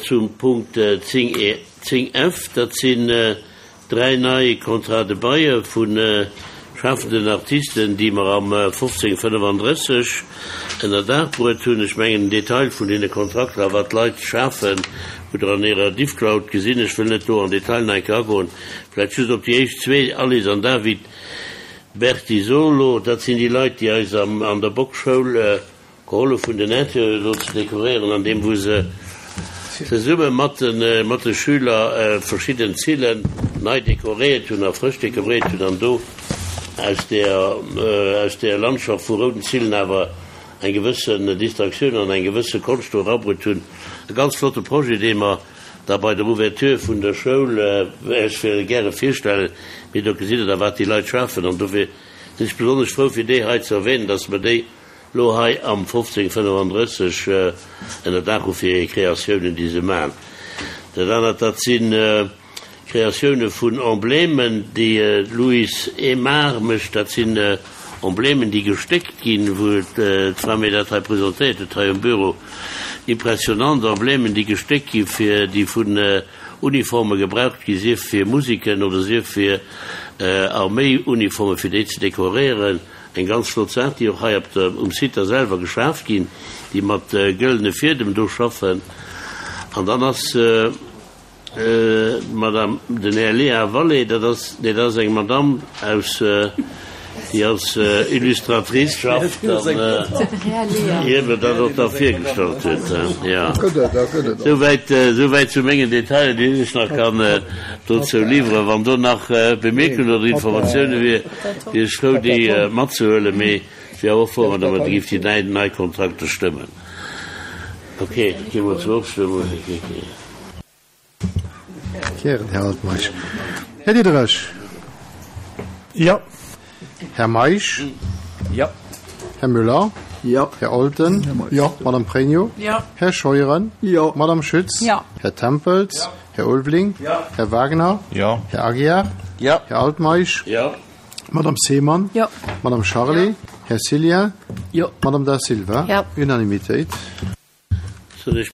zum Punkt 10 e, 10 F. Dat sinn dräi nei Contrats de bail vu schafenden Artisten, déi mer am 1535 ënner Daach bruet hunn. Ech mengen, den Detail vun deene Kontrakter a wat d'Leit schafen, hutt Der an Ärer Diffcloud gesinn. Ech wëll net do an Detail nach eng Kéier agoen. Vläicht just op déi éischt zwee, Alice an David Bertisolo. Dat sinn déi Leit, déi eis an der Bockschoul Gehollef hunn den Interieur do ze dekoréieren an deem wou se zesumme mat de mat de Schüler verschidden Zillen nei dekoréiert hunn a frësch dekoréiert hunn an do aus der aus der Landschaft vu rouden Zillen awer eng gewëssen Distraktioun an eng gewësse Konscht do erabruet hunn. E ganz flotte Projet dee mer da bei der Ouverture vun der Schoul Iech gäre virstellen, mee do gesitt Der da wat déi Leit schafen an dofir sinn ech besonnesch frou fir déi hei ze erwähnen, dass mer déi Lo hei am 1535 ënner Daach hu fir hir Kreatiounen, déi se maachen. Dat anert, dat si Kreatioune vun Emblemen, déi d'Louise Aymar mécht. Dat sinn Emblemen, déi gestéckt ginn, wou d'Fra mir dat hei presentéiert huet, hei um Büro. Impressionant Emblemen, déi gestéckt ginn, fir déi vun Uniforme gebraucht ginn, sief fir Musiken oder sief fir Arméiuniformen, fir déi ze dekoréieren. Eng ganz flott Saach, déi och hei op der, um Site da selwer geschaf ginn, déi mat gëllene Fiedem do schaffen. An dann ass d'Madame, den Här Léa Vallée, dat ass, nee, dat ass eng Madame aus, déi als Illustratrice schafft an hie mir dat och da virgestallt huet. Jo, souwäit, souwäit zu mengen Detailer, déi ech nach kann dozou liwweren. Wann do nach Bemierkungen oder Informatioune wier, Wier ech frou déi matzehuelen, mee ech wier awer och frou wann der mer géift déi nei Kontrakter stëmmen. Ok, gi mer zur Ofstëmmung. Gären, Här Altmeisch. Här Diderich. Jo. Här Meisch. Jo. Här Müller. Jo. Här Olten. Jo. Madame Pregno. Jo. Här Scheuren. Jo. Madame Schütz. Jo. Här Tempels. Jo. Här Ulveling. Jo. Här Wagner. Jo. Här Aguiar. Jo. Här Altmeisch. Jo. Madame Seemann. Jo. Madame Charlé. Jo. Här Cillien. Jo. Madame Da Silva. Jo. Unanimitéit. Soll ech.